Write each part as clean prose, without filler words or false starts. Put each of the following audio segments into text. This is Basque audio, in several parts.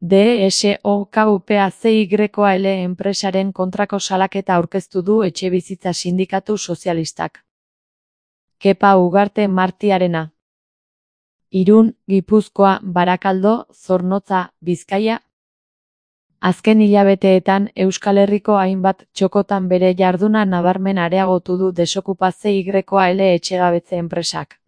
DSOKUPACYL enpresaren kontrako salaketa aurkeztu du Etxebizitza Sindikatu Sozialistak. Kepa Ugarte Martiarena. Irun, Gipuzkoa, Barakaldo, Zornotza, Bizkaia. Azken hilabeteetan Euskal Herriko hainbat txokotan bere jarduna nabarmen areagotu du DSOKUPACYL etxegabetze enpresak.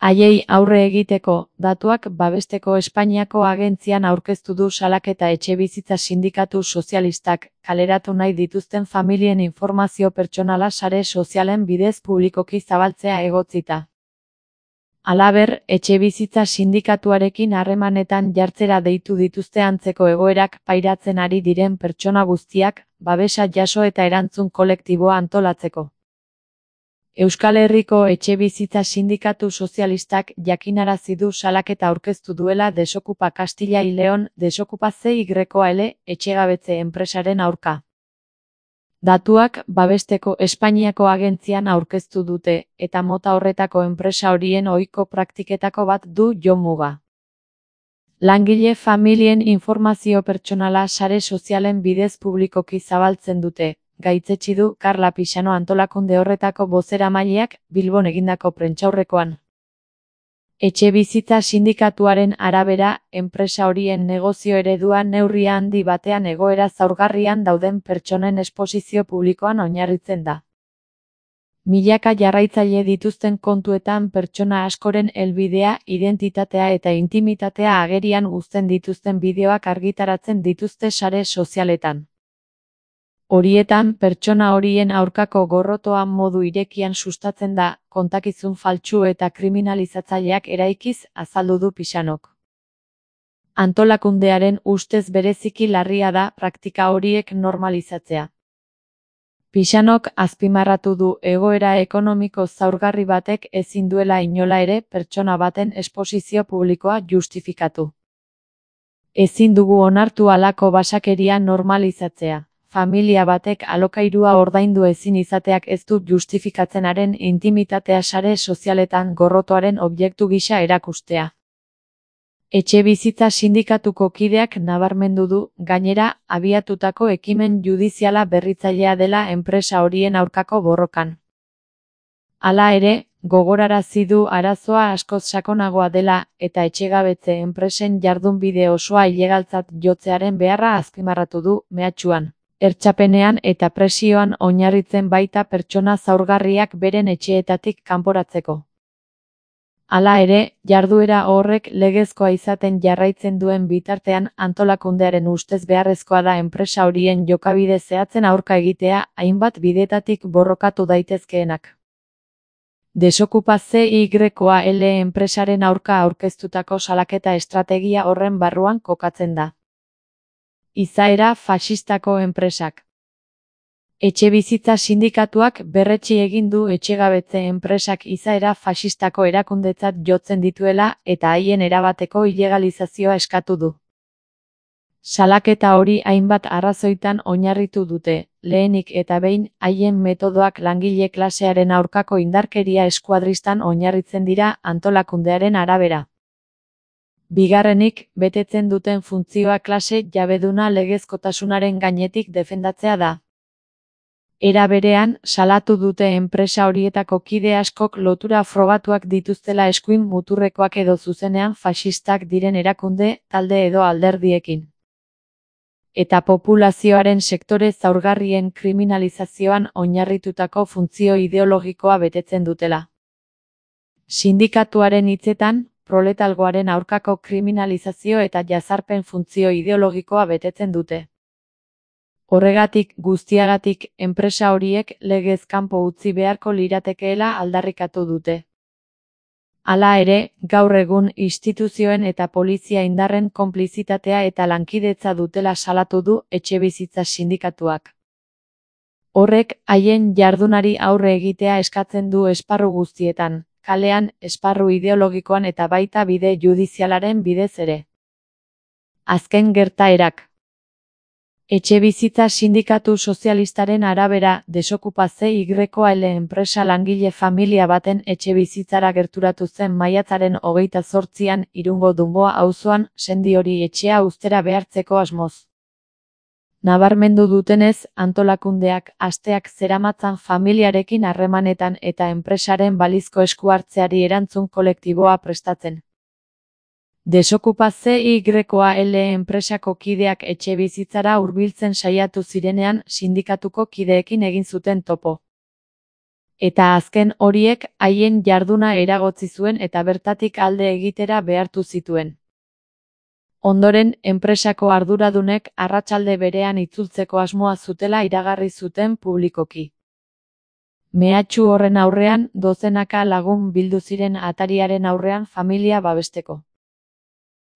Haiei aurre egiteko, datuak babesteko Espainiako agentzian aurkeztu du salaketa Etxebizitza Sindikatu Sozialistak, kaleratu nahi dituzten familien informazio pertsonala sare sozialen bidez publikoki zabaltzea egotzita. Halaber, Etxebizitza Sindikatuarekin harremanetan jartzera deitu dituzte antzeko egoerak pairatzen ari diren pertsona guztiak, babesa jaso eta erantzun kolektiboa antolatzeko. Euskal Herriko Etxebizitza Sindikatu Sozialistak jakinarazi du salaketa aurkeztu duela Desokupa Castilla y León DSOKUPACYL etxegabetze enpresaren aurka. Datuak babesteko Espainiako agentzian aurkeztu dute, eta mota horretako enpresa horien ohiko praktiketako bat du jomuga. Langile familien informazio pertsonala sare sozialen bidez publikoki zabaltzen dute, gaitzetsi du Karla Pixano antolakunde horretako bozeramaileak Bilbon egindako prentsaurrekoan. Etxebizitza Sindikatuaren arabera, enpresa horien negozio eredua neurri handi batean egoera zaurgarrian dauden pertsonen esposizio publikoan oinarritzen da. Milaka jarraitzaile dituzten kontuetan pertsona askoren helbidea, identitatea eta intimitatea agerian uzten dituzten bideoak argitaratzen dituzte sare sozialetan. Horietan, pertsona horien aurkako gorrotoa modu irekian sustatzen da, kontakizun faltsu eta kriminalizatzaileak eraikiz, azaldu du Pixanok. Antolakundearen ustez bereziki larria da praktika horiek normalizatzea. Pixanok azpimarratu du egoera ekonomiko zaurgarri batek ezin duela inola ere pertsona baten esposizio publikoa justifikatu. Ezin dugu onartu halako basakeria normalizatzea. Familia batek alokairua ordaindu ezin izateak ez du justifikatzenaren intimitatea sare sozialetan gorrotoaren objektu gisa erakustea. Etxebizitza Sindikatuko kideak nabarmendu du, gainera, abiatutako ekimen judiziala berritzailea dela enpresa horien aurkako borrokan. Hala ere, gogorarazi du arazoa askoz sakonagoa dela, eta etxegabetze enpresen jardunbide osoa ilegaltzat jotzearen beharra azpimarratu du, mehatxuan. Hertsapenean eta presioan oinarritzen baita pertsona zaurgarriak beren etxeetatik kanporatzeko. Hala ere, jarduera horrek legezkoa izaten jarraitzen duen bitartean antolakundearen ustez beharrezkoa da enpresa horien jokabide zehatzen aurka egitea hainbat bidetatik borrokatu daitezkeenak. DSOKUPACYL enpresaren aurka aurkeztutako salaketa estrategia horren barruan kokatzen da. Izaera faxistako enpresak. Etxebizitza Sindikatuak berretsi egin du etxegabetze enpresak izaera faxistako erakundetzat jotzen dituela eta haien erabateko ilegalizazioa eskatu du. Salaketa hori hainbat arrazoitan oinarritu dute, lehenik eta behin haien metodoak langile klasearen aurkako indarkeria eskuadristan oinarritzen dira antolakundearen arabera. Bigarrenik, betetzen duten funtzioa klase jabeduna legezkotasunaren gainetik defendatzea da. Era berean, salatu dute enpresa horietako kide askok lotura frogatuak dituztela eskuin muturrekoak edo zuzenean faxistak diren erakunde, talde edo alderdiekin. Eta populazioaren sektore zaurgarrien kriminalizazioan oinarritutako funtzio ideologikoa betetzen dutela. Sindikatuaren hitzetan, proletalgoaren aurkako kriminalizazio eta jazarpen funtzio ideologikoa betetzen dute. Horregatik guztiagatik enpresa horiek legez kanpo utzi beharko liratekeela aldarrikatu dute. Hala ere, gaur egun instituzioen eta polizia indarren konplizitatea eta lankidetza dutela salatu du Etxebizitza Sindikatuak. Horrek haien jardunari aurre egitea eskatzen du esparru guztietan, kalean, esparru ideologikoan eta baita bide judizialaren bidez ere. Azken gertaerak. Etxebizitza Sindikatu Sozialistaren arabera, Desokupazioa enpresa langile familia baten etxebizitzara gerturatu zen maiatzaren 28an Irungo Dunboa auzoan sendi hori etxea uztera behartzeko asmoz. Nabarmendu dutenez, antolakundeak asteak zeramatzan familiarekin harremanetan eta enpresaren balizko esku hartzeari erantzun kolektiboa prestatzen. Desokupazioa enpresako kideak etxebizitzara hurbiltzen saiatu zirenean sindikatuko kideekin egin zuten topo. Eta azken horiek haien jarduna eragotzi zuen eta bertatik alde egitera behartu zituen. Ondoren, enpresako arduradunek arratsalde berean itzultzeko asmoa zutela iragarri zuten publikoki. Mehatxu horren aurrean, dozenaka lagun bildu ziren atariaren aurrean familia babesteko.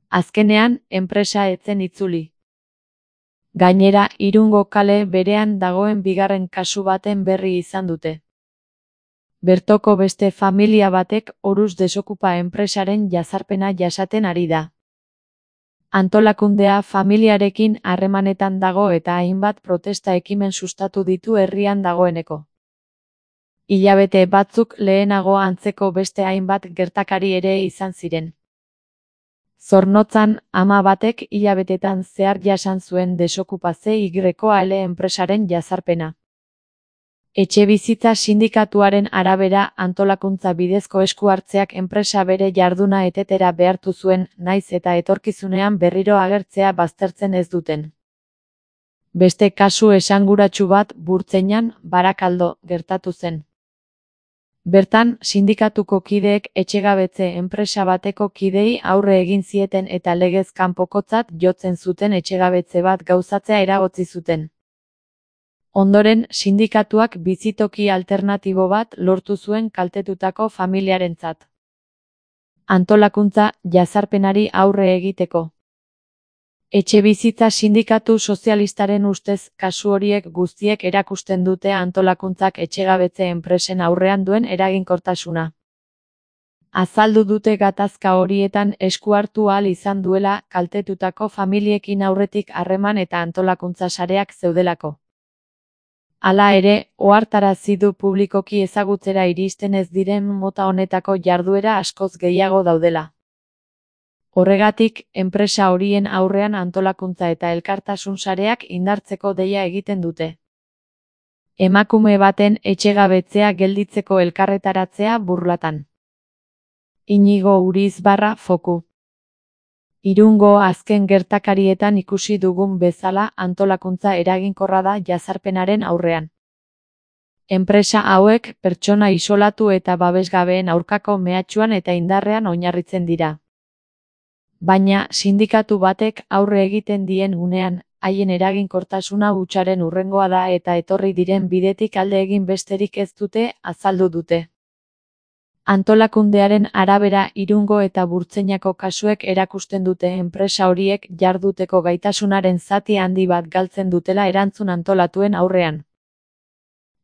Azkenean, enpresa ez zen itzuli. Gainera, Irungo kale berean dagoen bigarren kasu baten berri izan dute. Bertoko beste familia batek Orus Desokupa enpresaren jazarpena jasaten ari da. Antolakundea familiarekin harremanetan dago eta hainbat protesta ekimen sustatu ditu herrian dagoeneko. Hilabete batzuk lehenago antzeko beste hainbat gertakari ere izan ziren. Zornotzan, ama batek hilabetetan zehar jasan zuen Desokupazioa enpresaren jazarpena. Etxebizitza Sindikatuaren arabera antolakuntza bidezko esku hartzeak enpresa bere jarduna etetera behartu zuen, nahiz eta etorkizunean berriro agertzea baztertzen ez duten. Beste kasu esanguratsu bat Burtzeinan, Barakaldo, gertatu zen. Bertan, sindikatuko kideek etxegabetze enpresa bateko kidei aurre egin zieten eta legez kanpokotzat jotzen zuten etxegabetze bat gauzatzea eragotzi zuten. Ondoren, sindikatuak bizitoki alternatibo bat lortu zuen kaltetutako familiarentzat. Antolakuntza jazarpenari aurre egiteko. Etxebizitza Sindikatu Sozialistaren ustez, kasu horiek guztiek erakusten dute antolakuntzak etxegabetze enpresen aurrean duen eraginkortasuna. Azaldu dute gatazka horietan esku hartu ahal izan duela kaltetutako familiekin aurretik harreman eta antolakuntza sareak zeudelako. Hala ere, ohartarazi du publikoki ezagutzera iristen ez diren mota honetako jarduera askoz gehiago daudela. Horregatik, enpresa horien aurrean antolakuntza eta elkartasun sareak indartzeko deia egiten dute. Emakume baten etxegabetzea gelditzeko elkarretaratzea Burlatan. Inigo Urizbarra Foku. Irungo azken gertakarietan ikusi dugun bezala antolakuntza eraginkorra da jazarpenaren aurrean. Enpresa hauek pertsona isolatu eta babesgabeen aurkako mehatxuan eta indarrean oinarritzen dira. Baina, sindikatu batek aurre egiten dien unean, haien eraginkortasuna hutsaren hurrengoa da eta etorri diren bidetik alde egin besterik ez dute, azaldu dute. Antolakundearen arabera Irungo eta Burtzeinako kasuek erakusten dute enpresa horiek jarduteko gaitasunaren zati handi bat galtzen dutela erantzun antolatuen aurrean.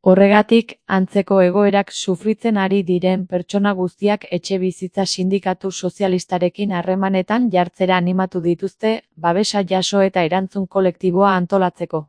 Horregatik, antzeko egoerak sufritzen ari diren pertsona guztiak Etxebizitza Sindikatu Sozialistarekin harremanetan jartzera animatu dituzte, babesa jaso eta erantzun kolektiboa antolatzeko.